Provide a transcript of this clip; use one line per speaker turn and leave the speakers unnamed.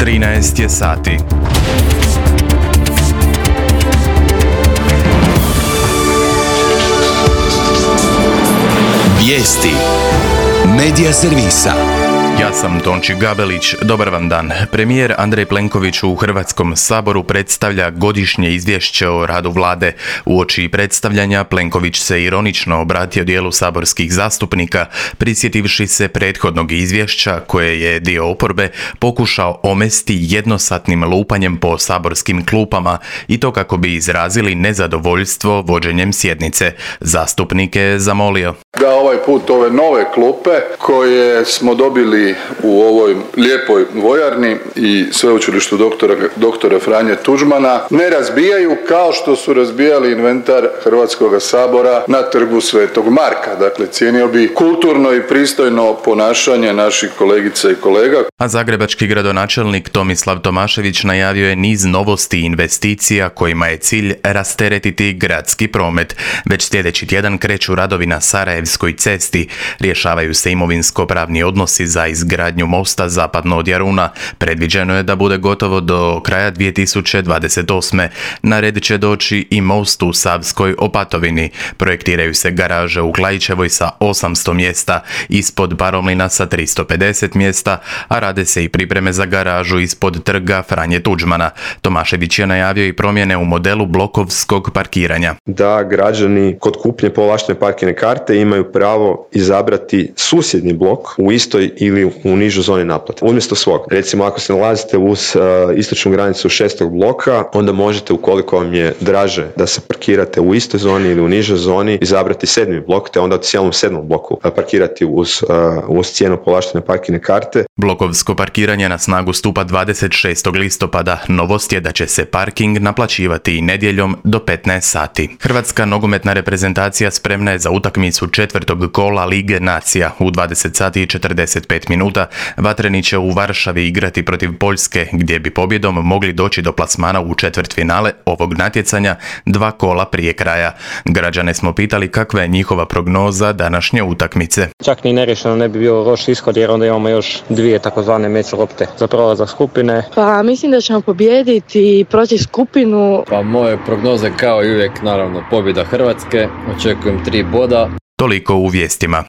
13 je sati.
Vijesti Medija servisa.
Ja sam Tonči Gabelić, dobar vam dan. Premijer Andrej Plenković u Hrvatskom saboru predstavlja godišnje izvješće o radu vlade. Uoči predstavljanja Plenković se ironično obratio dijelu saborskih zastupnika, prisjetivši se prethodnog izvješća koje je dio oporbe pokušao omesti jednosatnim lupanjem po saborskim klupama i to kako bi izrazili nezadovoljstvo vođenjem sjednice. Zastupnike je zamolio
da ovaj put ove nove klupe koje smo dobili u ovoj lijepoj vojarni i sveučilištu doktora Franje Tuđmana ne razbijaju kao što su razbijali inventar Hrvatskoga sabora na trgu Svetog Marka. Dakle, cijenio bi kulturno i pristojno ponašanje naših kolegica i kolega.
A zagrebački gradonačelnik Tomislav Tomašević najavio je niz novosti i investicija kojima je cilj rasteretiti gradski promet. Već sljedeći tjedan kreću radovi na Sarajevskoj cesti, rješavaju se imovinsko-pravni odnosi za izgradnju mosta zapadno od Jaruna. Predviđeno je da bude gotovo do kraja 2028. Na red će doći i most u Savskoj Opatovini. Projektiraju se garaže u Klaićevoj sa 800 mjesta, ispod Paromlina sa 350 mjesta, a rade se i pripreme za garažu ispod trga Franje Tuđmana. Tomašević je najavio i promjene u modelu blokovskog parkiranja.
Da građani kod kupnje povlaštene parkirne karte imaju pravo izabrati susjedni blok u istoj ili u nižoj zoni naplate, umjesto svog. Recimo, ako se nalazite uz istočnu granicu 6. bloka, onda možete, ukoliko vam je draže da se parkirate u istoj zoni ili u nižoj zoni, izabrati 7. blok, te onda u cijelom 7. bloku parkirati uz cijenu povlaštene parkirne karte.
Blokovsko parkiranje na snagu stupa 26. listopada. Novost je da će se parking naplaćivati i nedjeljom do 15 sati. Hrvatska nogometna reprezentacija spremna je za utakmicu 4. kola Lige nacija. U 20 sati i 45 minuta Vatreni će u Varšavi igrati protiv Poljske, gdje bi pobjedom mogli doći do plasmana u četvrtfinale ovog natjecanja 2 kola prije kraja. Građane smo pitali kakva je njihova prognoza današnje utakmice.
Čak ni nerješeno ne bi bio loš ishod, jer onda imamo još 2 takozvane meč lopte za prolazak skupine.
Pa mislim da ćemo pobijediti i proći skupinu.
Pa moje prognoze kao i uvijek, naravno, pobjeda Hrvatske, očekujem 3 boda.
Toliko u vijestima.